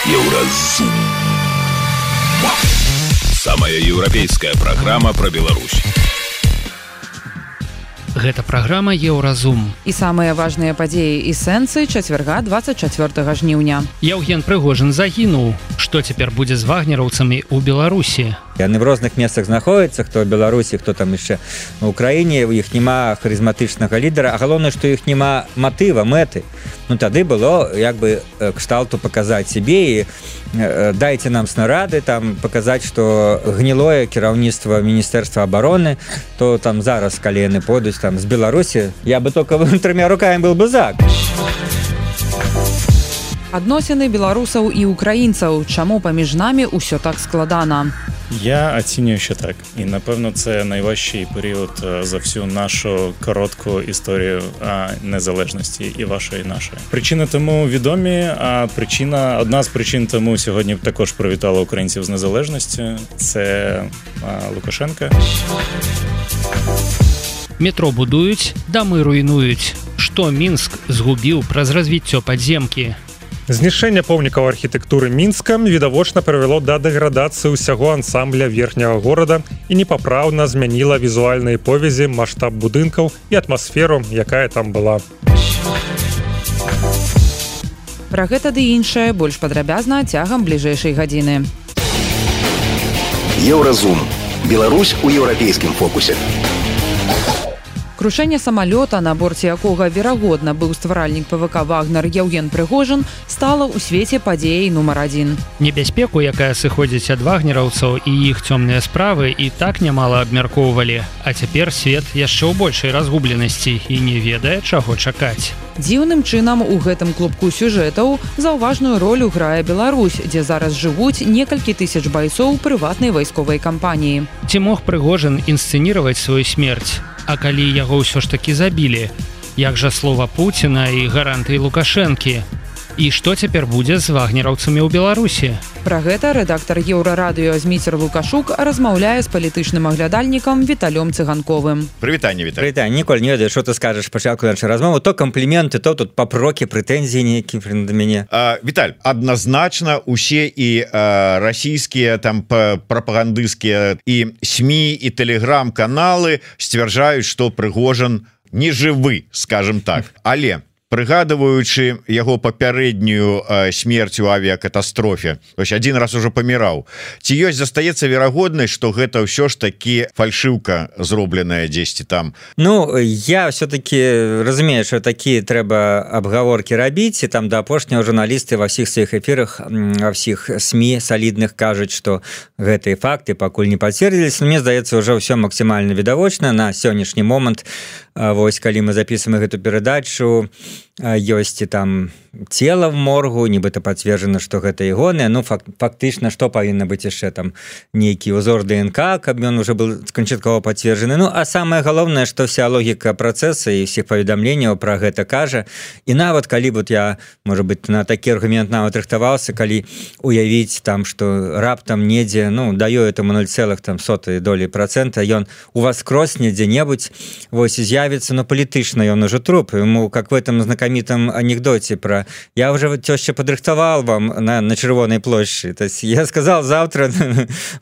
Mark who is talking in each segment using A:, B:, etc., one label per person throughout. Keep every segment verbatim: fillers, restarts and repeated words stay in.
A: Еўразум. Самая еўрапейская праграма пра Беларусь.
B: Гэта праграма Еўразум.
C: І самыя важныя падзеі і сэнсы чацвярга двадцать чацвёртага жніўня.
B: Яўген Прыгожин загінуў. Што цяпер будзе з вагнераўцамі ў Беларусі?
D: Яны в розных месцах знаходзяцца, хто ў Беларусі, хто там яшчэ на Украіне, у іх няма харызматычнага лідара, а галоўнае, што іх няма матыва, мэты. Ну тады было як бы кшталту паказаць сябе і дайце нам снарады, там паказаць, што гнілое кіраўніцтва Міністэрства абароны, то там зараз, калі яны пойдуць там з Беларусі, я бы только трымя рукамі был бы за.
C: Адносіны беларусаў і украінцаў. Чаму паміж намі ўсё так складана?
E: Я ацінюю ще так. І, напевно, це найважчий період за всю нашу коротку історію незалежності і вашої, і нашої. Причини тому відомі, а причина, одна з причин тому сьогодні також привітала українців з незалежністю. Це Лукашенка.
B: Метро будують, дамы руйнують. Што Мінск згубіў праз развіццё падземкі?
F: Знішчэнне помнікаў архітэктуры Мінска відавочна прывяло да дэградацыі ўсяго ансамбля верхняга горада і непапраўна змяніла візуальныя повязі, маштаб будынкаў і атмасферу, якая там была.
C: Пра гэта ды іншае больш падрабязна цягам бліжэйшай гадзіны.
A: Еўразум. Беларусь у еўрапейскім фокусе.
C: Крушэнне самалёта, на борце якога верагодна быў стваральнік ПВК «Вагнер» Яўген Прыгожин, стала ў свеце падзеяй нумар адзін.
B: Небяспеку, якая сыходзіць ад вагнераўцаў і іх цёмныя справы, і так нямала абмяркоўвалі. А цяпер свет яшчэ ў большай разгубленасці і не ведае, чаго чакаць.
C: Дзіўным чынам у гэтым клубку сюжэтаў заўважную ролю грае Беларусь, дзе зараз жывуць некалькі тысяч байцоў прыватнай вайсковай кампаніі.
B: Ці мог Прыгожин інсцэніраваць сваю смерць? А калі яго ўсё ж такі забілі? Як жа слова Пуціна і гарантыі Лукашэнкі? І што цяпер будзе з вагнераўцамі ў Беларусі?
C: Пра гэта рэдактар Еўрарадыё Зміцер Лукашук размаўляе з палітычным аглядальнікам Віталём Цыганковым.
G: Прывітанне, Віталь.
D: Прывітанне. Ніколь не ведаю, што ты скажаш пачатку нашай размовы. То кампліменты, то тут папрокі, прэтэнзіі нейкія да мяне.
G: А, Віталь, адназначна усе і а, расійскія там прапагандысцкія і СМІ і тэлеграм-каналы сцвярджаюць, што Прыгожин не жывы, скажем так. Але прыгадываючы яго папярэднюю смерць у авіякатастрофе, один раз ужо паміраў, ці ёсць застаецца верагоднасць, што гэта ўсё ж такі фальшыўка зробленая дзесьці там?
D: Ну я все-таки разумею, что такие трэба абгаворкі рабіць, і там да апошняго журналісты ва ўсіх сваіх эфірах, ва ўсіх СМІ салідных кажуць, што гэтыя факты пакуль не пацвердзіліся. Мне здаецца, ўжо ўсё максімальна відавочна на сённяшні момант. Вось калі мы записываем гэту перадачу, ёсць і там цела в моргу, нібыта пацверджана, што гэта ягонае. Ну фак, фактычна, што павінна быць яшчэ там нейкі ўзор ДНК, каб ён уже был канчаткова пацверджаны. Ну а самае галоўнае, што вся логіка працэса і ўсіх паведамленняў пра гэта кажа. І нават калі вот я, можа быць, на такі аргумент нават рыхтаваўся, калі уявіць там, што раптам недзе, ну даю этому ноль цэлых сотой долі процента, ён у вас кросне дзе-небудзь, вось з'явіцца, но палітычна ён уже труп. Ему, как в этом знакомитом анекдоте про «я уже теща подрыхтовал вам на, на Червоной площади». То есть я сказал, завтра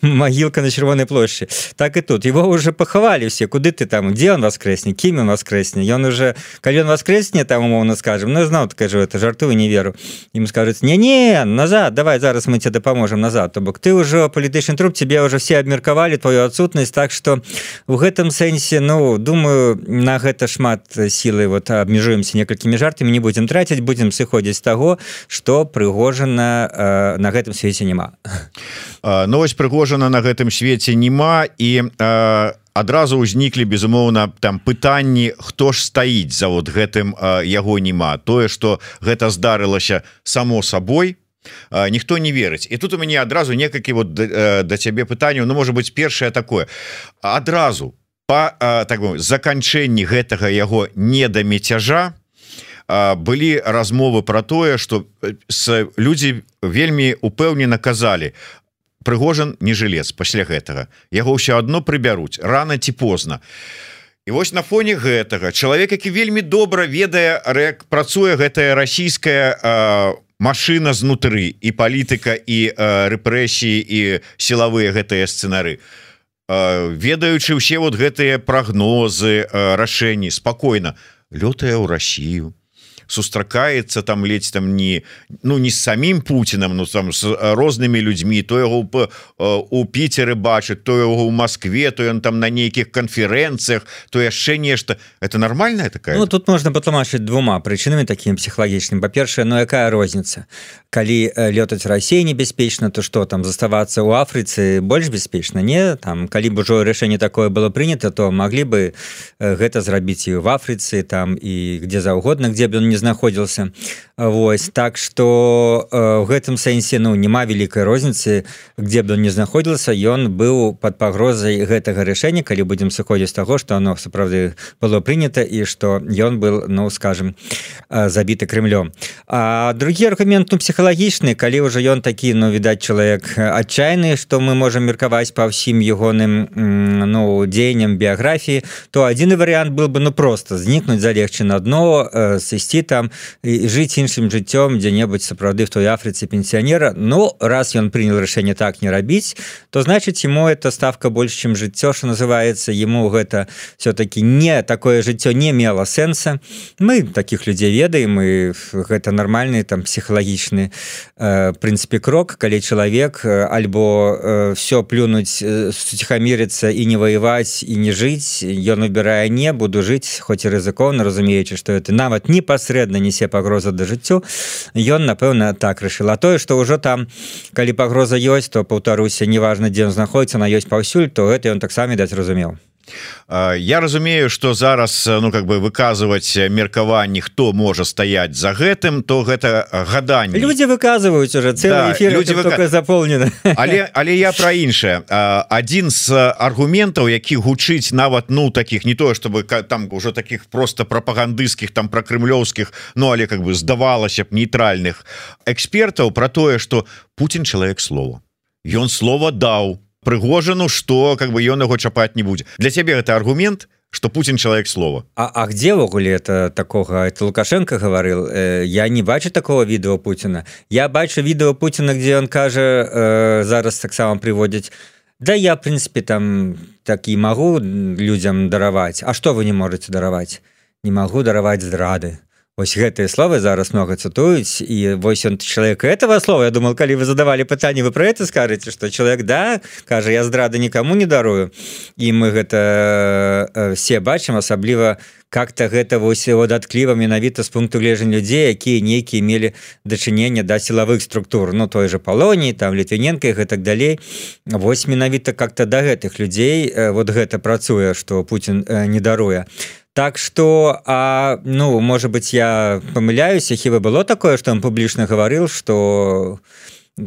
D: могилка на Червоной площади. Так и тут. Его уже поховали все. Куды ты там? Где он воскреснет? Кем он воскреснет? И он уже, когда он воскреснет, там умовно скажем, ну я знал, такая же это, жартую, не веру. Ему скажут, не-не, назад, давай, зараз мы тебе поможем назад. То бок ты уже политичный труп, тебе уже все обмерковали твою отсутность, так что в этом сенсе, ну, думаю, на гэта шмат сілы вот абмежуемся некалькімі жартамі, не будем траціць, будем сыходзіць з таго, што Прыгожина э, на гэтым свеце няма.
G: Ну вось Прыгожина на гэтым свеце няма, і э, адразу ўзніклі безумоўна там пытанні, хто ж стаіць за вот гэтым э, яго няма. Тое, што гэта здарылася само сабой, э, ніхто не верыць. І тут у мяне адразу некалькі вот да, да цябе пытанняў. Ну можа быць першае такое. Адразу па так бы заканчэнні гэтага яго недамецяжа былі размовы про тое, што людзі вельмі упэўнена казалі: Прыгожин не жылец, пасля гэтага яго ўсё адно прыбяруць рана ці позна. І вось на фоне гэтага чалавек, які вельмі добра ведае, як працуе гэтая расійская машина знутры і палітыка і э, рэпрэсіі і сілавыя гэтыя сцэнары э, ведаючы ўсе вот гэтыя прагнозы э, рашэнні спакойна лётае ў Россию сустракаецца там ледзь там не ну не з самім Путиным, ну там з рознымі людзьмі, то яго у Піцеры бачыць, то яго ў Москве, то ён там на нейкіх канферэнцыях, то яшчэ нешта. Это нормальная такая?
D: Ну тут можна патлумачыць двума прычынамі такім псіхалагічным. Па-першае, ну якая розніца? Калі лётаць Расіі небяспечна, то што там заставацца ў Афрыцы больш бяспечна? Не, там калі б ужо рашэнне такое было прынята, то маглі бы гэта зрабіць і в Афрыцы, там і где заўгодна, где б ён не знаходзіўся. Вось, так што в гэтым сэнсе ну няма вялікай розніцы, где б ён не знаходзіўся, ён быў пад пагрозай гэтага рашэння, калі будзем сыходзіць з таго, што оно сапраўды было прынята і што ён был, ну скажем, забіты Крымлём. А другі аргумент, ну псіхалагічны, калі ўжо ён такі, ну відаць, чалавек адчайны, што мы можам меркаваць па ўсім ягоным ну дзеянням біяграфіі, то адзіны варыянт был бы ну просто знікнуць, залегчы на дно, сысці там і жыць іншым жыццём дзе-небудзь сапраўды в той Афрыцы пенсіянера. Ну раз ён прынял рашэнне так не рабіць, то значыць ему эта ставка больш чым жыццё, што называецца, ему гэта все-таки не такое жыццё не мела сэнса. Мы таких людзей ведаем, і гэта нормальны там псіхалагічны э, прынцыпе крок, калі чалавек альбо э, все плюнуць, суціхамірыцца і не ваяваць і не жыць, ён выбірае не буду жыць, хоць і рызыкоўна, разумеючы, што это нават непасрэдна несе пагроза да жыццю, ён напэўна так рашыў. А тое, што ўжо там калі пагроза ёсць, то паўтаруся, неважна дзе ён знаходіцца, на ёсць паўсюль, то гэта ён таксама даць разумеў.
G: Я разумею, что зараз ну как бы выказывать меркаванні, хто можа стаять за гэтым, то гэта гаданне.
D: Люди выказываюць уже цэлы эфир,
G: люди
D: выка... заполнены.
G: Але, але я про іншае. Адзін з аргументаў, які гучыць нават ну таких не тое, чтобы там уже таких просто прапагандысцкіх там про крымлёўскіх, ну але как бы здавалася б нейтральных экспертаў про тое, что Путин человек слова. Ён слова даў Прыгожану, что как бы ён яго чапаць не будзе. Для цябе это аргумент, что Путин человек слова.
D: А, а где ввогуле это такого? Это Лукашенко говорил. Э, я не бачу такого відео Путина. Я бачу відео Путина, где он кажа, э, зараз так само приводить. Да я, в принципе, там так и могу людям дараваць. А что вы не можете дараваць? Не могу дараваць здрады. Вось гэтыя словы зараз много цытуюць, і вось он чалавек этого слова. Я думал, калі вы задавали пытанне, вы про это скажете, что человек да кажа, я здрады никому не дарую, і мы гэта все бачым, асабліва как-то гэта вось дадаткліва менавіта з пункту гледжання людзей, якія нейкія мелі дачыненне да сілавых структур, ну той же Палоніі, там Літвіненка і гэтак далей. Вось менавіта как-то да гэтых людзей вот гэта працуе, што Путін не даруе. Так что, а, ну, может быть, я помыляюсь, хіба было такое, что он публично говорил, что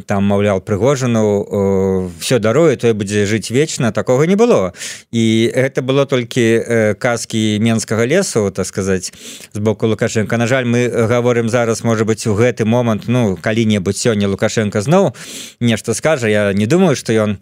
D: там, маўляў, Прыгожану э, все даруе, той будзе жыць вечна, такого не было. І гэта было толькі э, казкі Менскага лесу, так сказаць, з боку Лукашенко. На жаль, мы гаворым зараз, может быть, у гэты момант, ну, калі-небудзь сёння Лукашенко зноў нешта скажа, я не думаю, что ён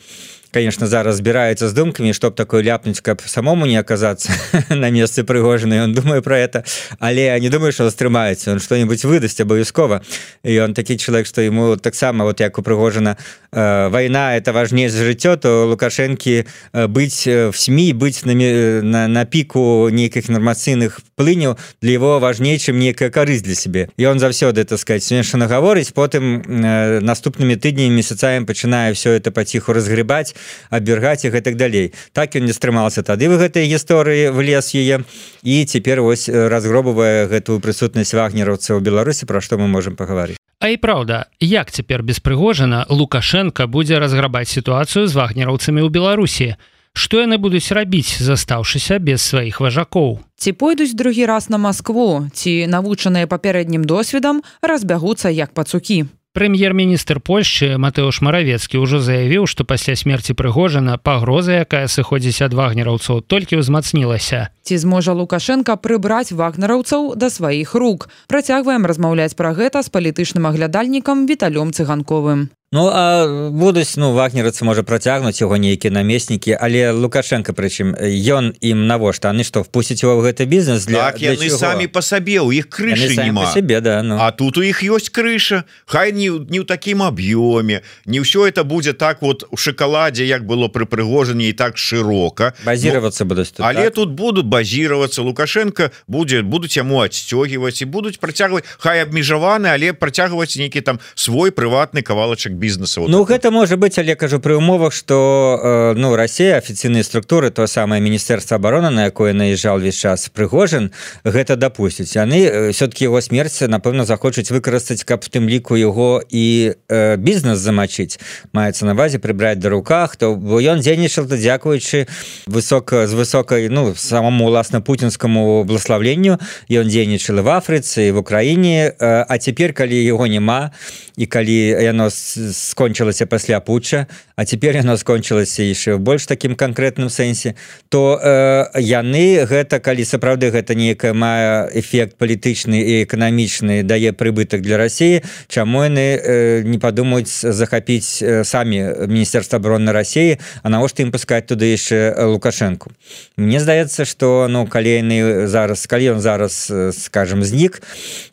D: конечно, зараз збираецца з думкамі, чтоб такое ляпнуць, каб самому не оказаться на месцы Прыгожина, он думае про это, але я не думаю, что стрымаецца, он что-нибудь выдасць абавязкова, и он такі человек, что ему таксама, вот як у Прыгожина, э, война это важнее за жыццё, то Лукашенко э, быть в СМИ, быть на, на, на піку нейкіх інфармацыйных плыняў для его важней, чым нейкая карысць для себе. И он заўсёды, так сказать, смешана гаворыць, потым э, наступнымі тыднямі, месяцамі пачынае все это паціху разгребаць, абвергаць іх і так далей. Так ён не стрымаўся тады в гэтай гісторыі, влез яе, і цяпер вось разгробывае гэтую прысутнасць вагнераўцаў у Беларусі, пра што мы можам пагаварыць.
B: А і праўда, як цяпер без Прыгожина Лукашенко будзе разграбаць сітуацыю з вагнераўцамі ў Беларусі? Што яны будуць рабіць, застаўшыся без сваіх важакоў?
C: Ці пойдуць другі раз на Маскву, ці навучаныя папярэднім досведам разбягуцца як пацукі?
B: Прэм'ер-міністр Польшчы Матэуш Маравецкі ўжо заявіў, што пасля смерці Прыгожина пагроза, якая сыходзіць ад вагнераўцаў, толькі ўзмацнілася.
C: Ці зможа Лукашенко прыбраць вагнераўцаў да сваіх рук? Працягваем размаўляць пра гэта з палітычным аглядальнікам Віталём Цыганковым.
D: Ну а будуць ну вагнерацы можа працягнуць яго нейкія намеснікі, але Лукашенко прычым ён ім навошта яны што впусціць его в гэты бізнес для,
G: так,
D: для
G: яны самі па сабе у іх крышы няма
D: себе, да, ну.
G: А тут у іх ёсць крыша хай не, не ў такім аб'ёме не ўсё это будзе так вот у шоколадзе як было пры Прыгожине і так шырока
D: базироваться будуць тут,
G: але
D: так?
G: Тут будут базироваться Лукашенко будзе будуць яму адсцёгіваць і будуць працягваць хай абмежаваны але працягваць нейкі там свой прыватны кавалачак бізнеса вот
D: ну
G: это.
D: Гэта можа быть але кажу пры умовах что э, ну Россия афіцыйныя структуры то самое Міністэрства обороны на якое наезжал весь час Прыгожин гэта допусціць яны все-таки его смерць напэўна захочуць выкарыстаць каб в тым ліку его і э, бізнес замочыць маецца на базе прыбраць да руках то бо ён дзейнічал то дзякуючы высока з высокай ну самому уласна путінскому благословленню ён дзейнічал в Афрыцы в Украіне э, а цяпер калі его няма і калі яно скончылася пасля путча а цяпер яно скончылася яшчэ в больш такім канкрэтным сэнсе то э, яны гэта калі сапраўды гэта нейкая мае эфект палітычны і эканамічны дае прыбытак для России чаму яны э, не падумаюць захапіць э, самі Міністэрства обороны России а навошта ім пускаць туды яшчэ Лукашенко Мне здаецца что ну калі яны зараз калі ён зараз скажем знік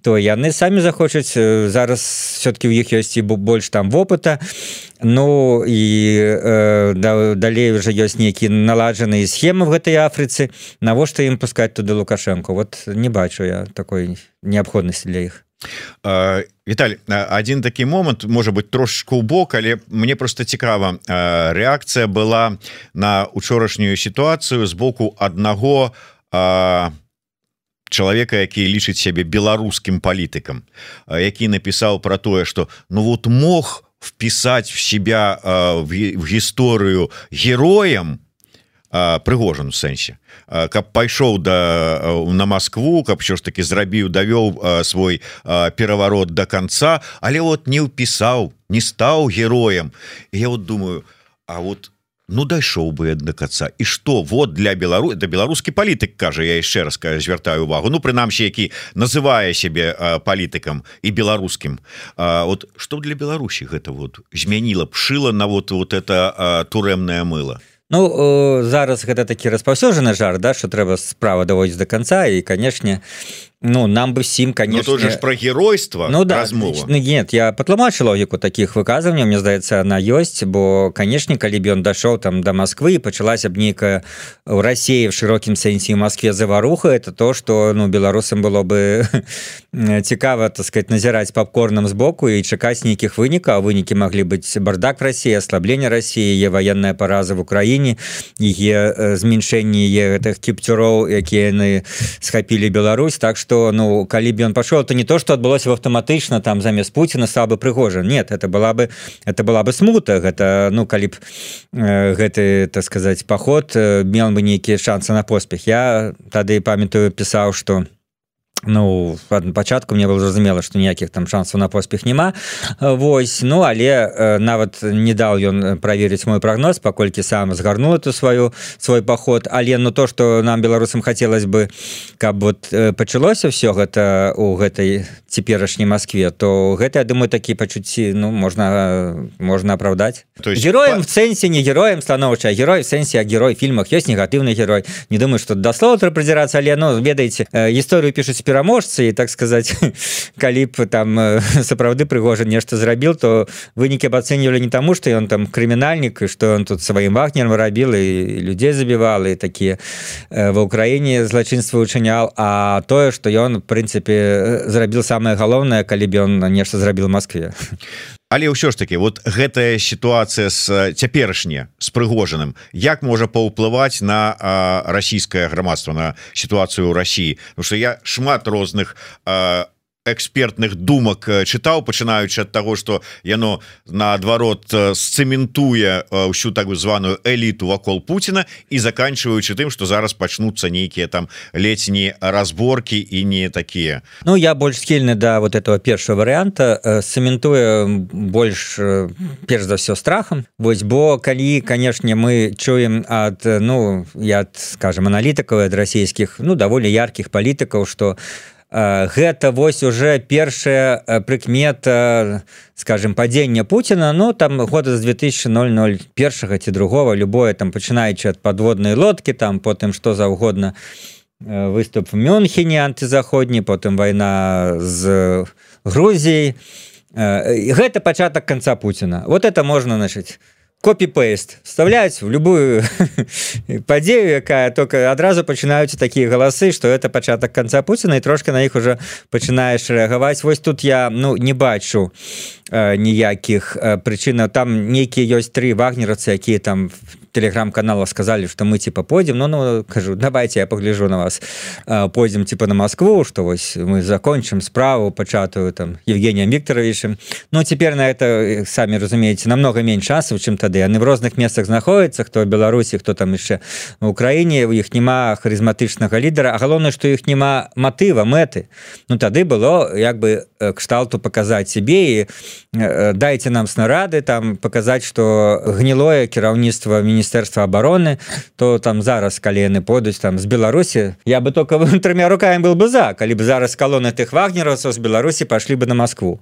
D: то яны самі захочуць зараз все-таки у іх ёсць і больш там вопыта ну і э, да, далей уже ёсць нейкія наладжаныя схемы в гэтай Афрыцы навошта ім пускаць туды Лукашенко вот не бачу я такой неабходнасці для іх
G: Віталь, один такі момант можа быть трошечку ў бок але мне просто цікава рэакцыя была на учорашнюю сітуацыю з боку аднаго чалавека які лічыць сябе беларускім палітыкам які напісаў про тое что ну вот мог впісаць в себя в гісторыю героем Прыгожин у сэнсе каб пайшоў да на Москву каб що ж таки зрабіў давёў свой пераварот до конца але вот не ўпісаў не стаў героем я вот думаю а вот ну дайшоў бы до конца і что вот для Белару да беларускі палітык кажа я яшчэ раз звяртаю увагу ну прынамсі які называе сябе палітыкам і беларускім вот что для Беларусі гэта вот змяніла б шыла на вот вот это турэмнае мыло
D: Ну зараз гэта такі распаўсюджаны жарт да что трэба справа даводзіць до конца і канешне ну нам бы всім конечно
G: ну, про геройство
D: ну да ну, нет я патлумачу логіку таких выказыванняў мне здаецца она ёсць бо канешне калі б ён дашоў там до Москвы пачалася б нейкая в России в широкім сэнсе в Москве заваруха это то что ну беларусам было бы цікава так сказать назіраць попкорном сбоку і чакаць нейкіх вынікаў а вынікі маглі быць бардак в России ослабление России е военная параза в Украине е змяншэнне гэтых кіпцюроў якія яны схапілі Беларусь так что ну калі б ён пашоў то не то что адбылося бы аўтаматычна там замест Пуціна стал бы Прыгожин нет это была бы это была бы смута гэта ну калі б э, гэты так сказать поход э, мел бы нейкія шансы на поспех я тады памятаю пісаў что ну пачатку мне было зразумела что ніякіх там шансаў на поспех няма вось ну але э, нават не даў ён праверыць мой прогноз паколькі сам згарнул эту сваю свой поход але ну то что нам беларусам хотелось бы каб вот э, пачалося все гэта у гэтай цяперашняй Москве то гэта я думаю такі пачуцці ну можна можна апраўдаць героем в сэнсе не героем станоўча герой в сэнсе а герой фільмах ёсць негатыўны герой не думаю что даслова трэба прыдзірацца але ну ведаеце э, гісторыю пішуць пераможцы і так сказать калі б там сапраўды Прыгожин нешта зрабіл то вынікі б ацэньвалі не таму что ён там крымінальнік і что он тут сваім вагнерам рабіл і людзей забівал і такія ва ўкраіне злачынства учынял а тое что ён в прынцыпе зрабіл самае галоўнае калі б ён нешта зрабіл в Москве
G: Але ўсё ж таки вот гэтая сітуацыя з цяперашняя з Прыгожиным як можа паўплываць на а, расійскае грамадства на сітуацыю ў России потому что я шмат розных а, экспертных думак чытаў пачынаючы ад таго что яно наадварот сцэментуе ўсю так званую эліту вакол Пуціна і заканчиваючы тым что зараз пачнуцца нейкія там летні разборки і не такія
D: Ну я больш схільны да вот этого першого варианта сцэментуе больш перш за все страхам вось бо калі канешне мы чуем ад ну я скажем аналітыкаў ад расійскіх ну даволі яркіх палітыкаў что гэта вось уже першая прыкмета, скажем, падзення Пуціна, ну там года з две тысячи первого ці другого, любое там пачынаючы ад падводнай лодкі, там потым што заўгодна, выступ в Мюнхене антызаходні, потым вайна з Грузіяй. Гэта пачатак канца Пуціна. Вот это можна, значит, копі-пейст вставляюць в любую падзею, якая только адразу пачынаюцца такія галасы, што это пачатак канца Пуціна, і трошки на іх уже пачынаеш рэагаваць. Вось тут я ну не бачу э, ніякіх э, прычынаў. Там нейкія ёсць тры вагнеровцы, якія там телеграм-канала сказали, что мы типа пойдем, ну, ну, кажу, давайте я погляжу на вас, пойдем типа на Москву, что вось мы закончим справу пачатую там Евгением Викторовичем. Ну, теперь на это, сами разумеете, намного меньше шансов, чем тады. Они в розных местах знаходятся, кто в Беларусі, кто там еще в Украине, у іх нема харизматычнага лідера, а галоўнае, что іх нема матыва, мэты. Ну, тады было, як бы, кшталту показать себе и дайте нам снарады, там, показать, что гнилое кіраўніцтва міністэрства Міністэрства обороны, то там зараз, калі яны пойдуць там з Беларусі, я бы только тремя руками был бы за, калі бы зараз колонны тых вагнеровцаў з Беларусі пошли бы на Москву.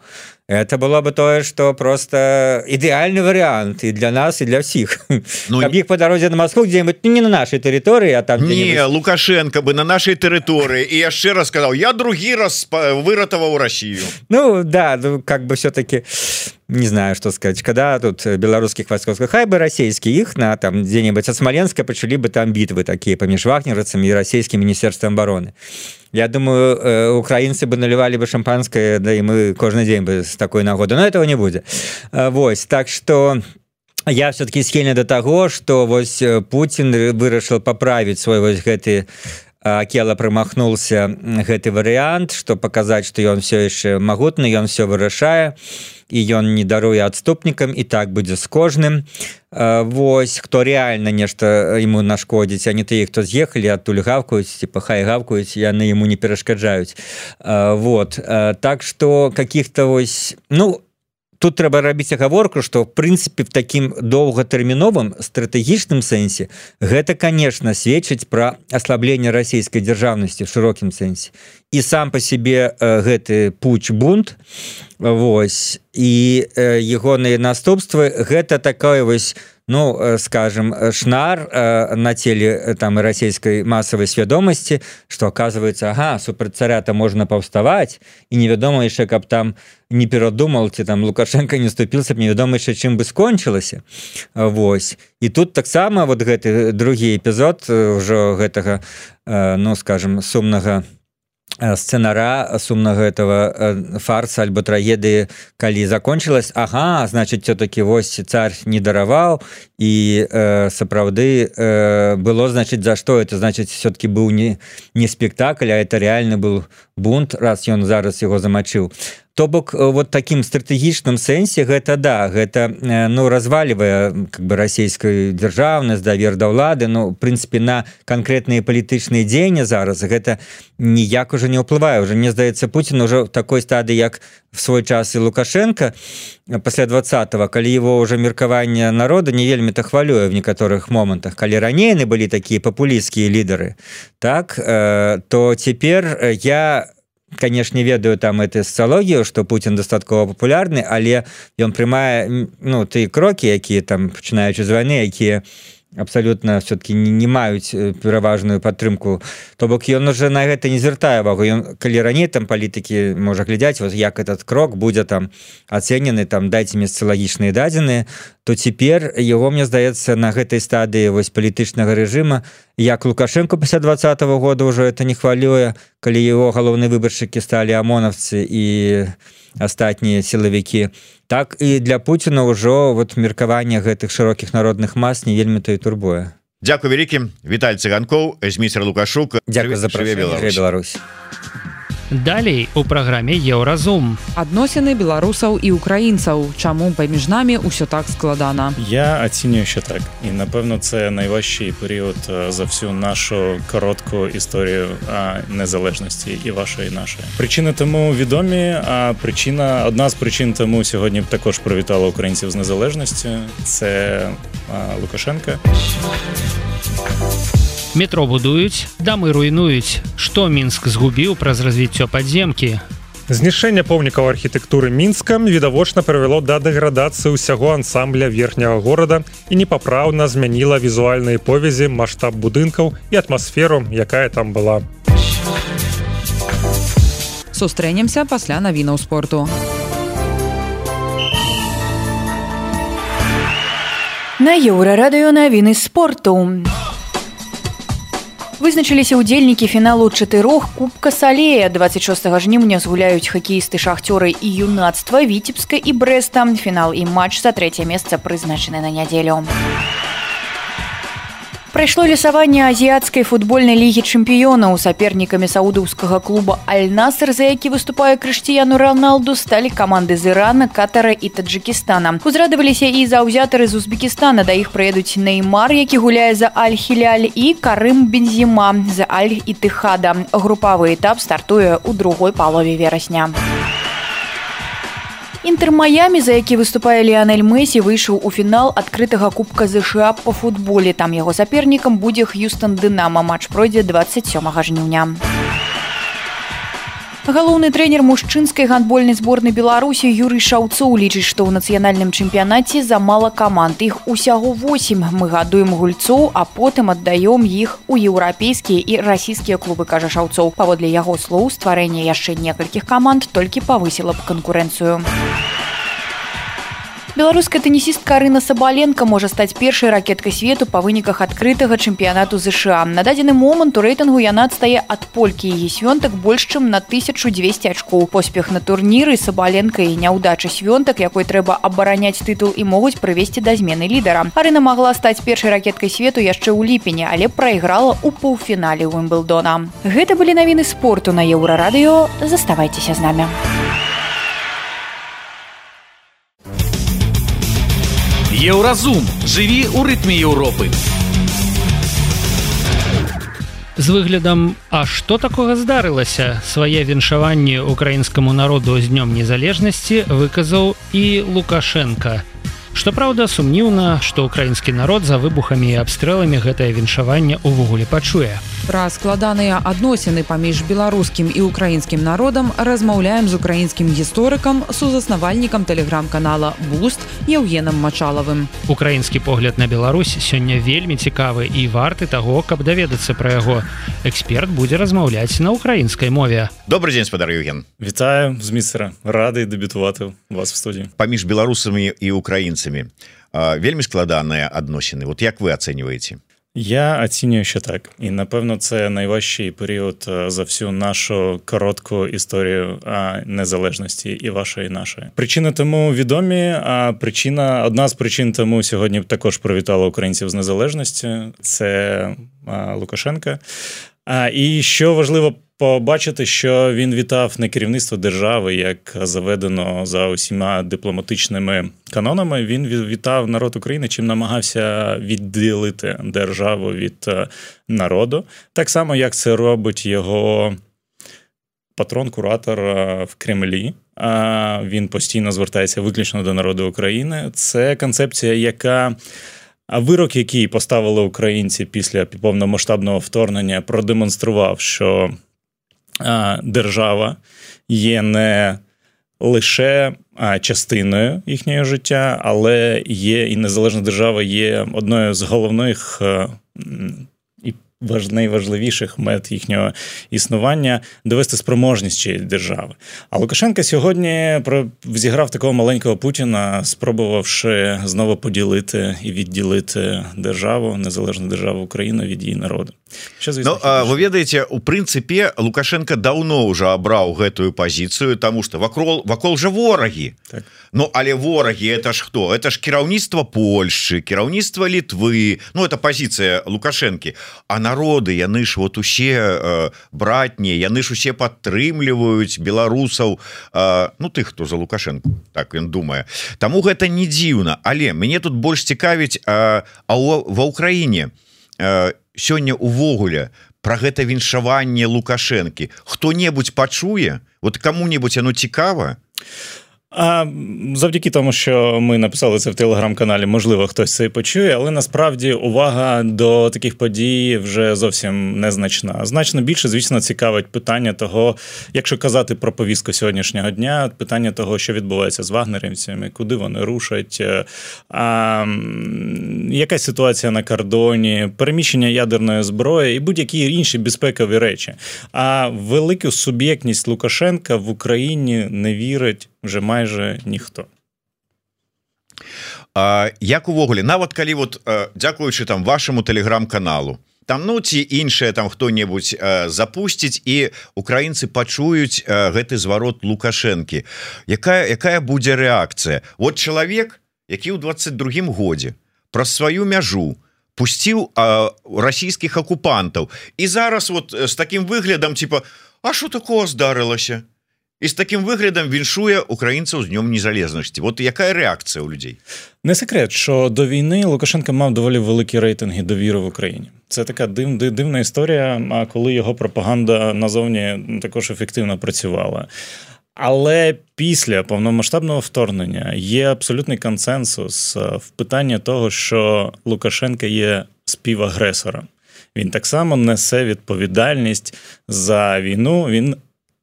D: Это было бы тое, что просто идеальный вариант и для нас, и для всех. Ну, каб іх по дорозе на Москву где-нибудь, ну, не на нашей территории, а там
G: не, Лукашенко бы на нашей территории, и яшчэ раз сказал, я другі раз выратаваў Россию.
D: Ну, да, ну, как бы все-таки... Не знаю, что сказать. Когда тут белорусских войсков, хай бы российские их на там где-нибудь от Смоленска почали бы там битвы такие помеж вагнеровцами и российским министерством обороны. Я думаю, украинцы бы наливали бы шампанское, да и мы каждый день бы с такой нагоды. Но этого не будет. Вот. Так что я все-таки схильный до того, что вот Путин вырашил поправить свой вот гэты Акела промахнулся гэты вариант, что показать, что он все еще могутный, он все вырашае, и он не даруе отступникам, и так будет с кожным. Вось, кто реально нешта ему нашкодить, а не те, кто съехали, оттуль гавкают, типа хай гавкают, и они ему не перешкоджают. Вот, так что каких-то вось, ну, тут трэба рабіць агаворку, што в прынцыпе в такім доўгатэрміновым стратэгічным сэнсе гэта, конечно, сведчыць пра аслабленне расійскай дзяржаўнасці в шырокім сэнсе. І сам па сябе гэты пуч бунт, вось, і ягоныя наступствы гэта такое вось, ну, скажем, шнар на теле там российской массовой свядомости, что оказывается, ага, супер царя-то можно повставать, и невядома еще, каб там не перадумал, ці там Лукашенко не ступился, невядома еще, чым бы скончылася. Вось. И тут таксама вот гэты другі эпизод уже гэтага, ну, скажем, сумнага сценара, сумнага этого фарса альбо трагедыі, калі закончилась, ага, значит, все-таки вось царь не дараваў, и э, сапраўды э, было, значит, за что это, значит, все-таки был не, не спектакль, а это реально был бунт, раз ён зараз его замочил. То бок вот таким стратэгічным сэнсе гэта да, гэта ну разваливае как бы расійскую дзяржаўнасць, давер да ўлады, ну в прынцыпе на канкрэтныя палітычныя дзеянні зараз гэта ніяк уже не ўплывае. Уже мне здаецца, Путин уже в такой стадыі, як в свой час і Лукашенко пасля двадцатого, калі его уже меркаванне народа не вельмі-то хвалюе в некаторых момантах, калі раней яны былі такія папулісцкія лідары, так, э, то цяпер я конечно, ведаю там эту социологию, что Путин дастаткова популярны, але ён прымае, ну, тыя крокі, якія там, пачынаючы з вайны, якія абсолютно все-таки не, не маюць пераважную падтрымку. То бок ён уже на гэта не звяртае увагу. Ён, калі раней там палітыкі можа глядзяць, вот як этот крок будзе там ацэнены, там дайце мне социалагічныя дадзеныя, то цяпер яго, мне здаецца, на гэтай стадыі вось палітычнага рэжыма, як Лукашенко пасля двадцатого года уже это не хвалюе, калі его галоўныя выбаршчыкі сталі амонаўцы і астатнія сілавікі, так і для Путіна ўжо вот меркаванне гэтых шырокіх народных мас не вельмі-то і турбуе.
G: Дзякуй вялікі. Віталь Цыганкоў, Зміцер Лукашук.
D: Дзякуй за запрашэнне, Беларусь.
B: Далей у праграме Еўразум.
C: Адносіны беларусаў і украінцаў. Чаму паміж намі ўсё так складана?
E: Я ацінюю ще так. І, напевно, це найважчий період за всю нашу коротку історію незалежності і вашої, і нашої. Причини тому відомі, а причина, одна з причин тому сьогодні також привітала українців з незалежністю. Це Лукашенка.
B: Метро будуюць, дамы руйнуюць. Што Мінск згубіў праз развіццё падземкі?
F: Знішэнне помнікаў архітэктуры Мінска відавочна прывяло да дэградацыі ўсяго ансамбля верхняга горада і непапраўна змяніла візуальныя повязі, маштаб будынкаў і атмасферу, якая там была.
C: Сустрэнемся пасля навінаў спорту.
H: На Еўрарадыё навіны спорту. Вызначыліся ўдзельнікі фіналу чатырох Кубка Салея. дваццаць шостага жніўня згуляюць хакеісты Шахцёры і Юнацтва, Віцебска і Брэста. Фінал і матч за трэцяе месца прызначаны на нядзелю. Прайшло лісаванне азіяцкай футбольнай лігі чэмпіёнаў. Сапернікамі саудаўскага клуба Аль-Наср, за які выступае Крыштіяну Роналду, сталі каманды з Ірана, Катара і Таджыкістана. Узрадаваліся і заўзятары з Узбекістана. Да іх прыедуць Неймар, які гуляе за Аль-Хіляль, і Карым Бензіма за Аль-Ітыхада. Групавы этап стартуе ў другой палове верасня. Інтэр Майамі, за які выступае Ліанель Месі, выйшаў у фінал адкрытага Кубка ЗША па футболе. Там яго сапернікам будзе Х'юстон Дынама. Матч пройдзе дваццаць сёмага жніўня. Галоўны трэнер мужчынскай гандбольнай зборнай Беларусі Юрый Шаўцоў лічыць, што ў нацыянальным чэмпіянаце замала каманд. Іх усяго восем. Мы гадуем гульцоў, а потым аддаём іх у еўрапейскія і расійскія клубы, кажа Шаўцоў. Паводле яго слоў, стварэнне яшчэ некалькіх каманд толькі павысіла б канкурэнцыю. Беларуская тэнісістка Арына Сабаленка можа стаць першай ракеткай свету па выніках адкрытага чэмпіянату ЗША. На дадзены момант у рэйтынгу яна адстае ад полькі і Свёнтак больш чым на тысячу дзвесце ачкоў. Поспех на турніры Сабаленка і няўдача Свёнтак, якой трэба абараняць тытул, і могуць прывесці да змены лідара. Арына магла стаць першай ракеткай свету яшчэ ў ліпені, але прайграла ў паўфінале Уімблдона. Гэта былі навіны спорту на Еўрарадыё. Заставайцеся з намі.
A: Еўразум. Жыві ў рытме Еўропы.
B: З выглядам, а што такога здарылася? Свае віншаванні украінскаму народу з днём незалежнасці выказаў і Лукашенка. Што праўда, сумніўна, што украінскі народ за выбухамі і абстрэламі гэтае віншаванне ўвогуле пачуе.
C: Пра складаныя адносіны паміж беларускім і украінскім народам размаўляем з украінскім гісторыкам, сузаснавальнікам тэлеграм-канала «Буст» Еўгенам Мачалавым.
B: Украінскі погляд на Беларусь сёння вельмі цікавы і варты таго, каб даведацца пра яго. Эксперт будзе размаўляць на украінскай мове.
G: Добрый дзень, спадар Еўген.
E: Вітаю з міцера. Рады дэбютаваць у вас в студіі.
G: Паміж беларусамі і украінцамі вельмі складаныя адносіны. Вот як вы ацэньваеце?
E: Я оцінюю, що так. І, напевно, це найважчий період за всю нашу коротку історію незалежності і вашої, і нашої. Причини тому відомі, а причина, одна з причин тому сьогодні також привітала українців з незалежністю. Це Лукашенка. І що важливо побачити, що він вітав не керівництво держави, як заведено за усіма дипломатичними канонами. Він вітав народ України, чим намагався відділити державу від народу. Так само, як це робить його патрон-куратор в Кремлі. Він постійно звертається виключно до народу України. Це концепція, яка... А вирок, який поставили українці після повномасштабного вторгнення, продемонстрував, що держава є не лише частиною їхнього життя, але є і незалежна держава є одною з головних і найважливіших мет їхнього існування – довести спроможність цієї держави. А Лукашенко сьогодні зіграв такого маленького Путіна, спробувавши знову поділити і відділити державу, незалежну державу України від її народу. Що, звісно,
G: ну, а, вы ведаеце, у прынцыпе Лукашенко даўно ўжо абраў гэтую пазіцыю, таму што вакол, вакол жа ворагі.
E: Так.
G: Ну, але ворагі это ж хто? Это ж кіраўніцтва Польшчы, кіраўніцтва Літвы. Ну, это пазіцыя Лукашэнкі. А народы, яны ж вот усе э, братні, яны ж усе падтрымліваюць беларусаў, э, ну, тых, хто за Лукашенко, так ён думае. Таму гэта не дзіўна. Але мяне тут больш цікавіць, э, а ва ўкраіне э, сёння увогуле про гэта віншаванне Лукашэнкі хто-небудзь пачуе? Вот кому-небудзь оно цікава?
E: А завдяки тому, що ми написали це в телеграм-каналі, можливо, хтось це і почує, але насправді увага до таких подій вже зовсім незначна. Значно більше, звісно, цікавить питання того, якщо казати про повістку сьогоднішнього дня, питання того, що відбувається з вагнерівцями, куди вони рушать, а, яка ситуація на кордоні, переміщення ядерної зброї і будь-які інші безпекові речі. А велику суб'єктність Лукашенка в Україні не вірить вже майже ніхто.
G: А, як увогуле, нават калі вот, дзякуючы там вашаму тэлеграм-каналу, там ну ці іншыя там хто-небудзь запусціць і украінцы пачуюць гэты зварот Лукашэнкі, якая, якая будзе рэакцыя? Вот чалавек, які ў двадцать другім годзе праз сваю мяжу пусціў расійскіх акупантаў і зараз вот з такім выглядам типа, а що такого здарылася? І з таким виглядом віншує українців з Днем Незалежності. От яка реакція у людей?
E: Не секрет, що до війни Лукашенко мав доволі великі рейтинги довіри в Україні. Це така див, дивна історія, коли його пропаганда назовні також ефективно працювала. Але після повномасштабного вторгнення є абсолютний консенсус в питанні того, що Лукашенко є співагресором. Він так само несе відповідальність за війну, він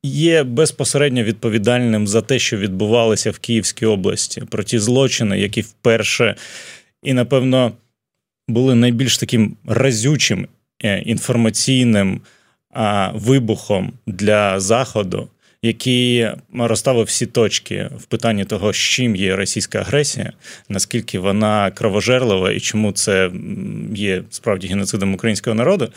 E: є безпосередньо відповідальним за те, що відбувалося в Київській області, про ті злочини, які вперше і, напевно, були найбільш таким разючим інформаційним вибухом для Заходу, який розставив всі точки в питанні того, з чим є російська агресія, наскільки вона кровожерлива і чому це є справді геноцидом українського народу.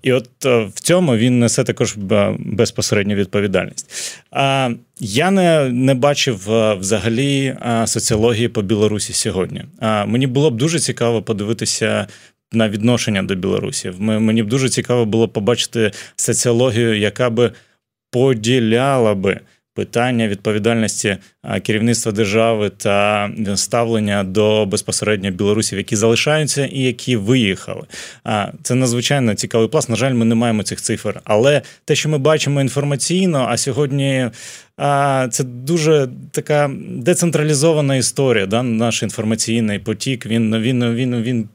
E: І от в цьому він несе також безпосередню відповідальність. Я не, не бачив взагалі соціології по Білорусі сьогодні. Мені було б дуже цікаво подивитися на відношення до Білорусі. Мені б дуже цікаво було побачити соціологію, яка би поділяла би питання відповідальності керівництва держави та ставлення до безпосередньо білорусів, які залишаються і які виїхали. Це надзвичайно цікавий пласт. На жаль, ми не маємо цих цифр. Але те, що ми бачимо інформаційно, а сьогодні це дуже така децентралізована історія, да? Наш інформаційний потік, він, він, він, він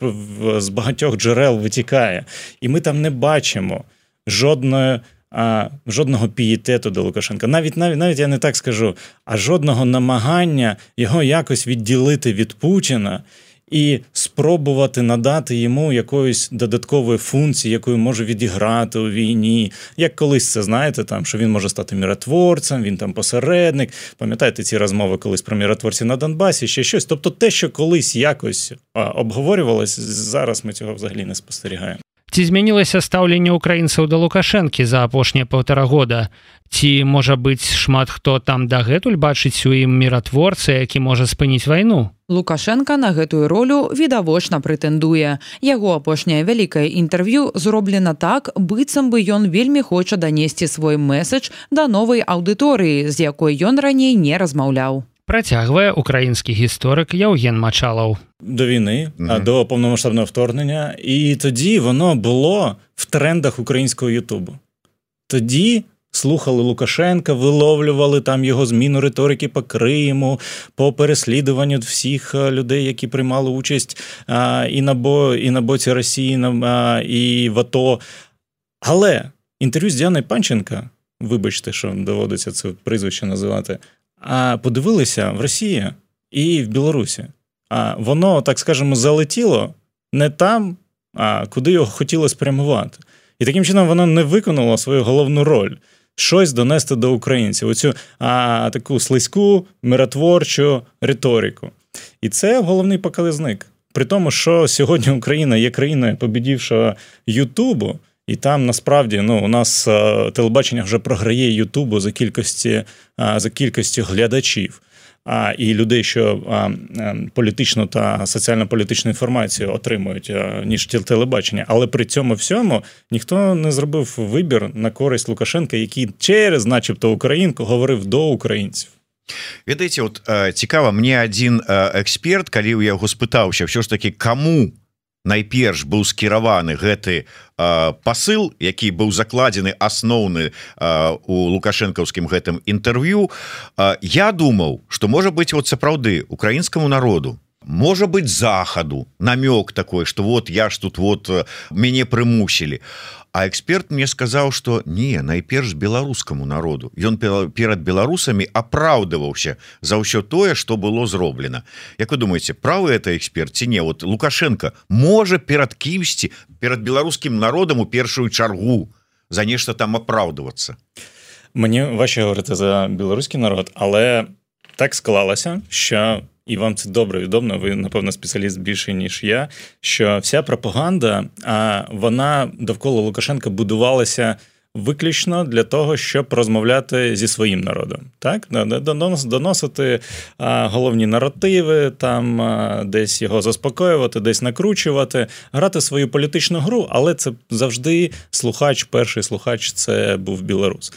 E: з багатьох джерел витікає. І ми там не бачимо жодної А, жодного пієтету до Лукашенка. Навіть, навіть, навіть я не так скажу, а жодного намагання його якось відділити від Путіна і спробувати надати йому якоїсь додаткової функції, якою може відіграти у війні. Як колись це, знаєте, там, що він може стати миротворцем, він там посередник. Пам'ятаєте ці розмови колись про миротворців на Донбасі, ще щось. Тобто те, що колись якось а, обговорювалось, зараз ми цього взагалі не спостерігаємо.
B: Ці змянілася стаўленне украінцаў да Лукашэнкі за апошнія паўтара года? Ці, можа быць, шмат хто там дагэтуль бачыць у ім міратворца, які можа спыніць вайну?
C: Лукашенко на гэтую ролю відавочна прэтэндуе. Яго апошняе вялікае інтэрв'ю зроблена так, быццам бы ён вельмі хоча данесці свой месседж да новай аўдыторыі, з якой ён раней не размаўляў.
B: Працягвае украінскі гісторик Євген Мачалов.
E: До війни, mm-hmm. до повномасштабного вторгнення. І тоді воно було в трендах українського Ютубу. Тоді слухали Лукашенка, виловлювали там його зміну риторики по Криму, по переслідуванню всіх людей, які приймали участь а, і, на бо, і на боці Росії, а, і в АТО. Але інтерв'ю з Діаною Панченко, вибачте, що доводиться це прізвище називати, а подивилися в Росії і в Білорусі. А воно, так скажемо, залетіло не там, а куди його хотіло спрямувати. І таким чином воно не виконало свою головну роль – щось донести до українців, оцю а, таку слизьку, миротворчу риторику. І це головний показник. При тому, що сьогодні Україна є країною побідівшого Ютубу, і там, насправді, ну, у нас а, телебачення вже програє Ютубу за кількості, а, за кількістю глядачів. А, і людей, що а, політичну та соціально-політичну інформацію отримують, а, ніж телебачення. Але при цьому всьому ніхто не зробив вибір на користь Лукашенка, який через, начебто, українку говорив до українців.
G: Ведаеце, от цікава, мне один эксперт, калі я яго спытаўся, все ж таки, кому найперш быў скіраваны гэты пасыл, які быў закладзены асноўны у лукашэнкаўскім гэтым інтэрв'ю, я думаў, што можа быць вот сапраўды украінскаму народу, можа быць захаду намёк такой, што вот я ж тут вот мяне прымусілі. А эксперт мне сказаў, што не, найперш беларускаму народу. Ён перад беларусамі апраўдываўся за ўсё тое, што было зроблена. Як вы думаеце, правы это эксперт ці не? Вот Лукашенко можа перад кімсьці, перад беларускім народам у першую чаргу за нешта там апраўдвацца?
E: Мені важче говорити за білоруський народ, але так склалося, що і вам це добре відомо, ви, напевно, спеціаліст більше, ніж я, що вся пропаганда, а вона довкола Лукашенка будувалася виключно для того, щоб розмовляти зі своїм народом. Так? Доносити а, головні наративи, там, а, десь його заспокоювати, десь накручувати, грати свою політичну гру, але це завжди слухач, перший слухач – це був білорус.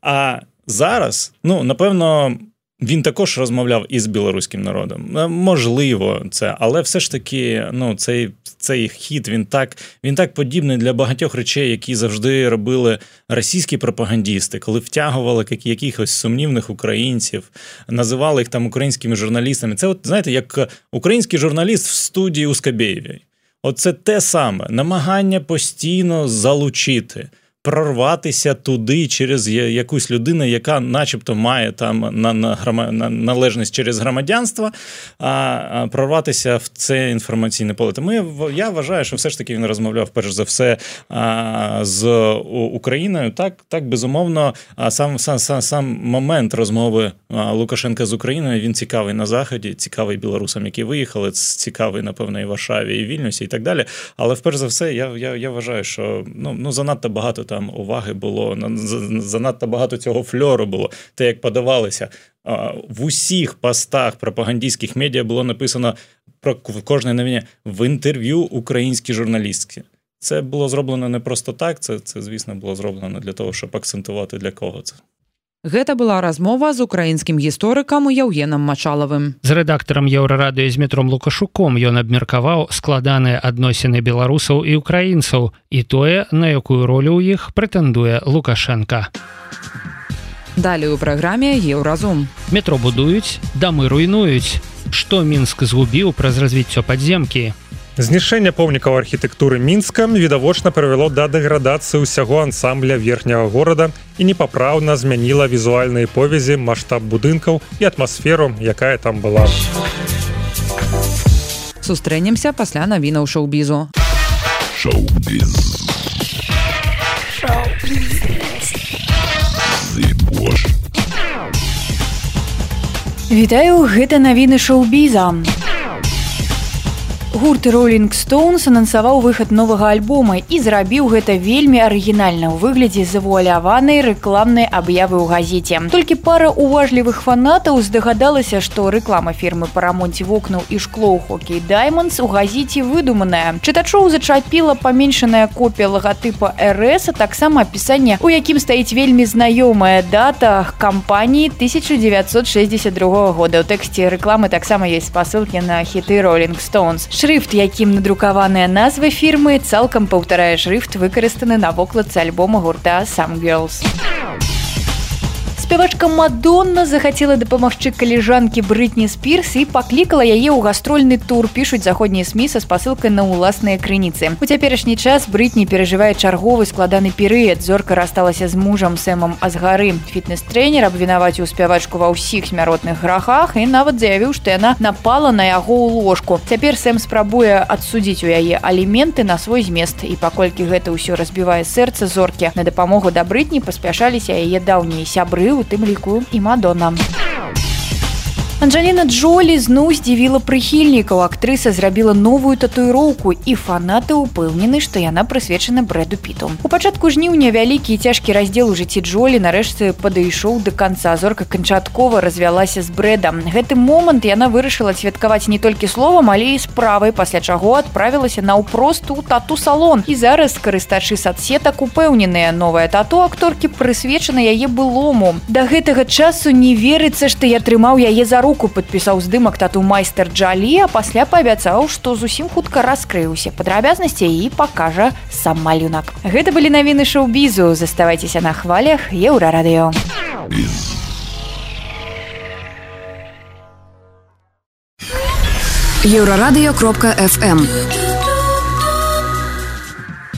E: А зараз, ну, напевно, він також розмовляв із білоруським народом. Можливо, це, але все ж таки, ну, цей, цей хід, він так, він так подібний для багатьох речей, які завжди робили російські пропагандісти, коли втягували якихось сумнівних українців, називали їх там українськими журналістами. Це, от, знаєте, як український журналіст в студії у Скабєєвій. Оце те саме, намагання постійно залучити, прорватися туди через якусь людину, яка начебто має там на, на, на належність через громадянство, а, а прорватися в це інформаційне поле. Тому я, я вважаю, що все ж таки він розмовляв перш за все а, з Україною. Так, так безумовно, а сам, сам, сам, сам момент розмови а, Лукашенка з Україною, він цікавий на Заході, цікавий білорусам, які виїхали, цікавий, напевно, і в Варшаві, і в Вільнюсі, і так далі. Але вперше за все, я, я, я вважаю, що ну, ну, занадто багато там Там уваги було, занадто багато цього фльору було. Те, як подавалися. В усіх постах пропагандистських медіа було написано про кожне новині в інтерв'ю українські журналістки. Це було зроблено не просто так, це, це, звісно, було зроблено для того, щоб акцентувати, для кого це.
C: Гэта была размова з украінскім гісторыкам Яўгенам Мачалавым.
B: З рэдактарам Еўрарадыё Змітром Лукашуком ён абмеркаваў складаныя адносіны беларусаў і украінцаў і тое, на якую ролю ў іх прэтэндуе Лукашенка.
C: Далей у праграме Еўразум.
B: Метро будуюць, дамы руйнуюць. Што Мінск згубіў праз развіццё падземкі?
F: Знішэнне помнікаў архітэктуры Мінска відавочна прывяло да дэградацыі ўсяго ансамбля верхняга горада і непапраўна змяніла візуальныя повязі, маштаб будынкаў і атмасферу, якая там была.
C: Сустрэнемся пасля навінаў шоу-бізу.
I: Шоу-біз.
H: Вітаю, гэта навіны шоу-біза. Гурт Rolling Stones анансаваў выхад новага альбома і зрабіў гэта вельмі арыгінальна ў выглядзе завуаляванай рэкламнай аб'явы ў газеце. Толькі пара уважлівых фанатаў здагадалася, што рэклама фірмы па рамонце вокнаў і шкло ў Hockey Diamonds у газеце выдуманая. Чытачоў зачапіла паменшаная копія лагатыпа эр эс, а таксама апісанне, у якім стаіць вельмі знаёмая дата кампаніі тысяча дзевяцьсот шэсцьдзесят другога года. У тэксце рэкламы таксама ёсць спасылкі на хіты Rolling Stones. Шрыфт, якім надрукаваныя назвы фірмы, цалкам паўтарае шрыфт, выкарыстаны на вокладцы альбома гурта Some Girls. Спявачка Мадонна захацела дапамагчы калежанкі Брытні Спірс і паклікала яе ў гастрольны тур, пішуць заходнія СМІ са спасылкай на ўласныя крыніцы. У цяперашні час Брытні перажывае чарговы складаны перыяд. Зорка рассталася з мужам Сэмам Азгары. Фітнес-трэнер абвінаваціў спявачку ва ўсіх смяротных грахах і нават заявіў, што яна напала на яго ў ложку. Цяпер Сэм спрабуе адсудзіць у яе аліменты на свой змест. І паколькі гэта ўсё разбівае сэрца зоркі, на дапамогу да Брытні паспяшаліся яе даўнія сябры, у тым ліку і Мадонна. Анджеліна Джолі зноў здзівіла прыхільнікаў. Актрыса зрабіла новую татуіроўку, і фанаты ўпэўнены, што яна прысвечана Брэду Піту. У пачатку жніўня вялікі і цяжкі раздзел у жыцці Джолі нарэшце падышоў да канца. Зорка канчаткова развялася з Брэдам. Гэты момант яна вырашыла святкаваць не толькі словам, але і справай, пасля чаго адправілася наўпрост у тату-салон. І зараз карыстачы садсетак упэўненыя, новая тату акторкі прысвечана яе былому. Да гэтага часу не верыцца, што я трымаў яе за руку падпісаў здымак тату майстар Джалі, а пасля паабяцаў, што зусім хутка раскрыўся падрабязнасці і пакажа сам малюнак. Гэта былі навіны шоу-бізу. Заставайцеся на хвалях Еўрарадыё.
J: еўрарадыё кропка эф эм.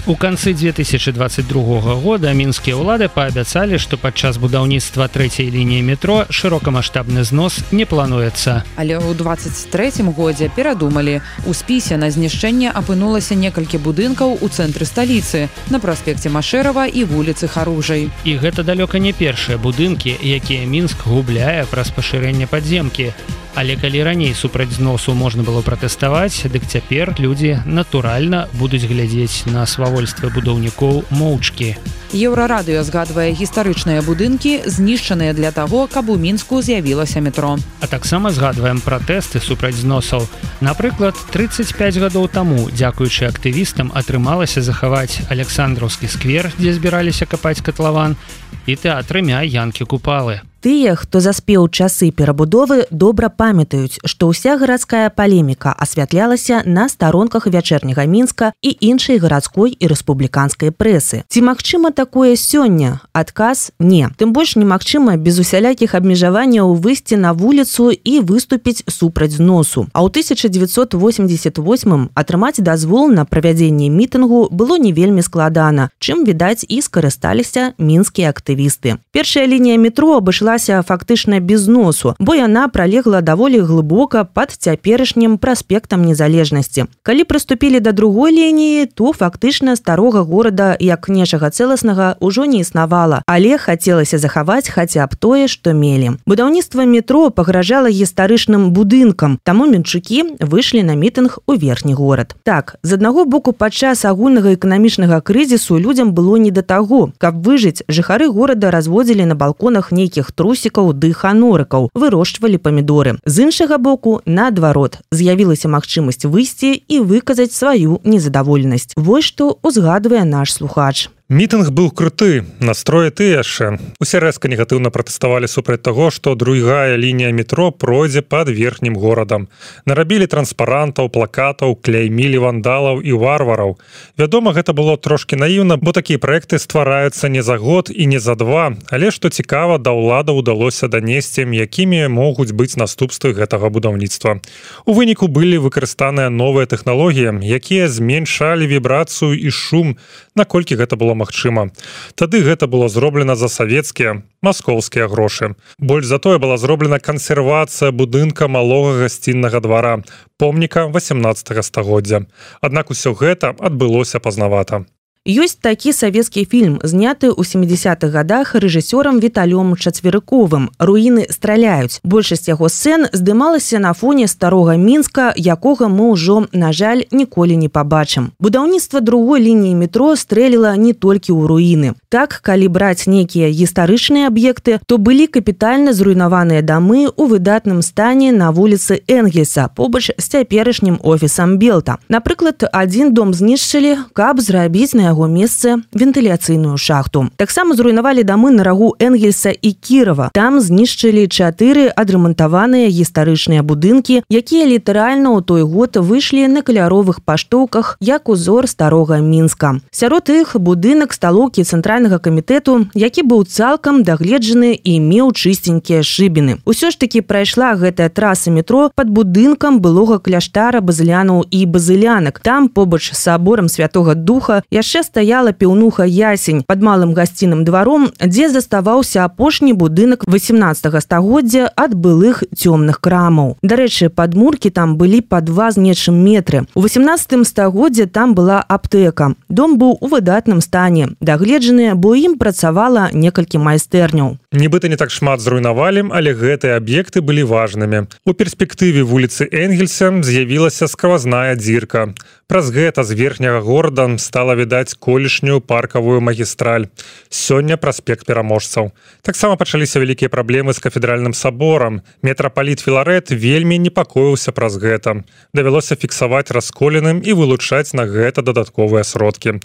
B: У канцы две тысячи двадцать другога года мінскія ўлады паабяцалі, што падчас будаўніцтва трэцяй лініі метро шырокамаштабны знос не плануецца.
C: Але ў двадцать трэцім годзе перадумалі. У спісе на знішчэнне апынулася некалькі будынкаў у цэнтры сталіцы, на праспекце Машэрава і вуліцы Харужай.
B: І гэта далёка не першыя будынкі, якія Мінск губляе праз пашырэнне падземкі. Але калі раней супраць зносу можна было пратэставаць, дык цяпер людзі натуральна будуць глядзець на свавольства будаўнікоў моўчкі.
C: Еўрарадыё згадвае гістарычныя будынкі, знішчаныя для таго, каб у Мінску з'явілася метро.
B: А таксама згадваем пратэсты супраць зносаў. Напрыклад, тридцать пять гадоў таму, дзякуючы актывістам, атрымалася захаваць Александраўскі сквер, дзе збіраліся капаць катлаван, і тэатр імя Янкі Купалы.
K: Тыя, хто заспеў часы перабудовы, добра памятаюць, што ўся гарадская палеміка асвятлялася на старонках вячэрняга Мінска і іншай гарадской і рэспубліканскай прэсы. Ці магчыма такое сёння? Адказ – не. Тым больш немагчыма без усялякіх абмежаванняў выйсці на вуліцу і выступіць супраць зносу. А ў тысяча дзевяцьсот восемьдесят восьмым атрымаць дазвол на правядзенне мітынгу было не вельмі складана, чым, відаць, і скарысталіся мінскія актывісты. Першая лінія метро абышла фактычна без носу, бо яна пралегла даволі глыбока пад цяперашнім праспектам незалежнасці. Калі прыступілі да другой лініі, то фактычна старога горада як нечага цэласнага ўжо не існавала, але хацелася захаваць хаця б тое, што мелі. Будаўніцтва метро пагражала гістарычным будынкам, таму мінчукі выйшлі на мітынг у верхні горад. Так, з аднаго боку, падчас агульнага эканамічнага крызісу людзям было не да таго. Каб выжыць, жыхары горада разводзілі на балконах нейкіх трусікаў ды ханорыкаў, вырошчвалі памідоры. З іншага боку, наадварот, з'явілася магчымасць выйсці і выказаць сваю незадаволенасць. Вось што узгадвае наш слухач.
F: Мітынг быў круты, настроі ты яшчэ. Усе рэзка негатыўна пратэставалі супраць таго, што другая лінія метро пройдзе пад верхнім горадам. Нарабілі транспарантаў, плакатаў, кляймілі вандалаў і варвараў. Вядома, гэта было трошкі наіўна, бо такія праекты ствараюцца не за год і не за два, але што цікава, да ўлада ўдалося данесці, якімі могуць быць наступствы гэтага будаўніцтва. У выніку былі выкарыстаныя новыя тэхналогіі, якія зменшалі вібрацыю і шум, наколькі гэта было магчыма. Тады гэта было зроблена за савецкія, маскоўскія грошы. Больш за тое была зроблена кансервацыя будынка малога гасціннага двара, помніка восемнадцатага стагоддзя. Аднак усё гэта адбылося пазнавата.
K: Ёсць такі савецкі фільм, зняты ў сямідзясятых гадах рэжысёрам Віталём Чацверыковым «Руіны страляюць». Большасць яго сцэн здымалася на фоне старога Мінска, якога мы ўжо, на жаль, ніколі не пабачым. Будаўніцтва другой лініі метро стрэліла не толькі ў руіны. Так, калі браць нейкія гістарычныя аб'екты, то былі капітальна зруйнаваныя дамы ў выдатным стане на вуліцы Энгельса, побач з цяперашнім офісам Белта. Напрыклад, адзін дом знішчылі, каб зрабіць на яго месцы вентыляцыйную шахту. Таксама зруйнавалі дамы на рагу Энгельса і Кірова. Там знішчылі чатыры адрамантаваныя гістарычныя будынкі, якія літаральна ў той год выйшлі на каляровых паштоўках як узор старога Мінска. Сярод іх будынак сталоўкі цэнтральнага камітэту, які быў цалкам дагледжаны і меў чыстенькія шыбіны. Усё ж такі прайшла гэтая траса метро пад будынкам былога кляштара базылянаў і базылянак. Там, побач з саборам Святога Духа, яшчэ стаяла піўнуха Ясень пад малым гасціным дваром, дзе заставаўся апошні будынак восемнадцатага стагоддзя ад былых цёмных крамаў. Дарэчы, падмуркі там былі па два з нечым метры. У восемнадцатым стагоддзе там была аптэка. Дом быў у выдатным стане, дагледжаны, бо ім працавала некалькі майстэрняў.
F: Нібыта не так шмат зруйнавалі, але гэтыя аб'екты былі важнымі. У перспектыве вуліцы Энгельса з'явілася сквозная дзірка. Праз гэта з верхняга горада стала відаць рэканструяваць колішнюю паркавую магістраль. Сёння праспект пераможцаў. Таксама пачаліся вялікія праблемы з кафедральным саборам. Метрапаліт Філарэт вельмі непакоіўся праз гэта. Давялося фіксаваць расколіным і вылучаць на гэта дадатковыя сродкі.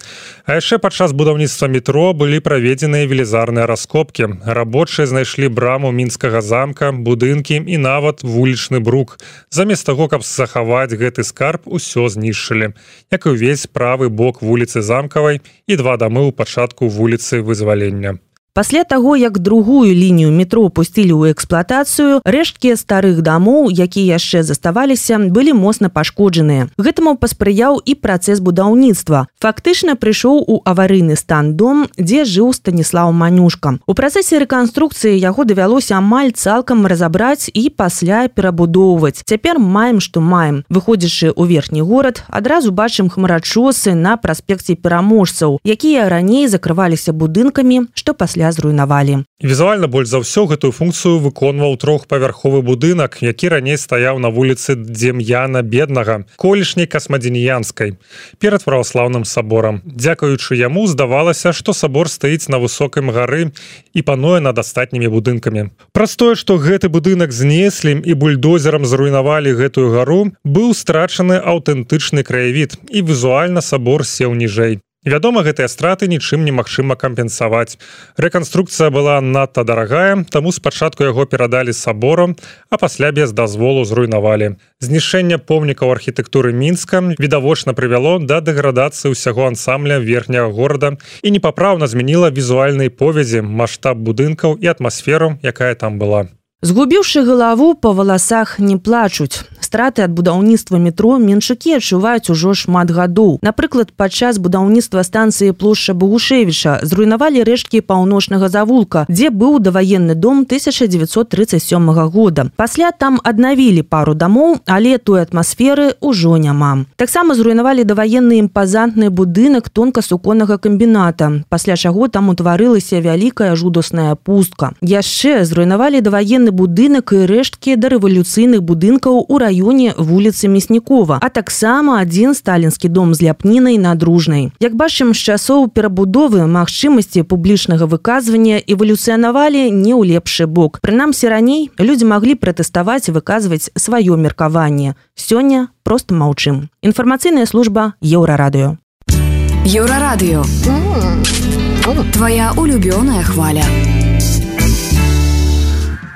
F: А яшчэ падчас будаўніцтва метро былі праведзеныя велізарныя раскопкі. Рабочыя знайшлі браму мінскага замка, будынкі і нават вулічны брук. Замест таго, каб захаваць гэты скарб, усё знішчылі. Як і ўвесь правы бок вуліцы Замкавай і два дамы ў пачатку вуліцы Вызвалення.
K: Пасля таго, як другую лінію метро пусцілі ў эксплуатацыю, рэшткі старых дамоў, якія яшчэ заставаліся, былі моцна пашкоджаныя. Гэтаму паспрыяў і працэс будаўніцтва. Фактычна прыйшоў у аварыйны стан дом, дзе жыў Станіслаў Манюшка. У працэсе рэканструкцыі яго давялося амаль цалкам разабраць і пасля перабудоўваць. Цяпер маем, што маем. Выходзячы ў верхні горад, адразу бачым хмарачосы на праспекце пераможцаў, якія раней закрываліся будынкамі, што пасля зруйнавалі.
F: Візуальна больш за ўсё гэтую функцыю выконваў трохпавярховы будынак, які раней стаяў на вуліцы Дем'яна Беднага, колішняй Касмадзеніянскай, перад праваслаўным саборам. Дзякуючы яму здавалася, што сабор стаіць на высокім гары і пануе над астатнімі будынкамі. Праз тое, што гэты будынак знеслі і бульдозерам зруйнавалі гэтую гару, быў страчаны аўтэнтычны краявід і візуальна сабор сеў ніжэй. Вядома, гэтыя страты нічым немагчыма кампенсаваць. Рэканструкцыя была надта дарагая, таму спачатку яго перадалі саборам, а пасля без дазволу зруйнавалі. Знішэнне помнікаў архітэктуры Мінска відавочна прывяло да дэградацыі ўсяго ансамбля верхняга горада і непапраўна змяніла візуальнай повязі, маштаб будынкаў і атмасферу, якая там была.
K: Згубіўшы галаву, па валасах не плачуць. Страты ад будаўніцтва метро менчукі адчуваюць ужо шмат гадоў. Напрыклад, падчас будаўніцтва станцыі плошча Богушевіча зруйнавалі рэшткі паўночнага завулка, дзе быў даваенны дом тысяча дзевяцьсот тридцать сёмага года. Пасля там аднавілі пару дамоў, але той атмасферы ўжо няма. Таксама зруйнавалі даваенны імпазантны будынак тонкасуконнага камбіната, пасля чаго там утварылася вялікая жудасная пустка. Яшчэ зруйнавалі даваенны будынак і рэшткі дарэвалюцыйных будынкаў у раёне вуліцы Мяснікова, а таксама адзін сталінскі дом з ляпнінай на Дружнай. Як бачым, з часоў перабудовы магчымасці публічнага выказвання эвалюцыянавалі не ў лепшы бок. Прынамсі раней людзі маглі пратэставаць і выказваць сваё меркаванне. Сёння проста маўчым. Інфармацыйная служба Еўрарадыё.
J: Еўрарадыё. Твая улюбёная хваля.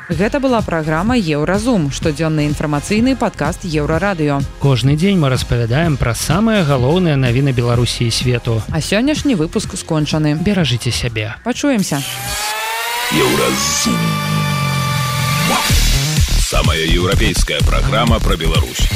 C: Гэта была праграма Еўразум, штодзённы інфармацыйны падкаст Еўрарадыё.
B: Кожны дзень мы распавядаем пра самыя галоўныя навіны Беларусі і свету.
C: А сённяшні выпуск скончаны.
B: Беражыце сябе.
C: Пачуемся.
I: Еўразум. Самая еўрапейская праграма пра Беларусь.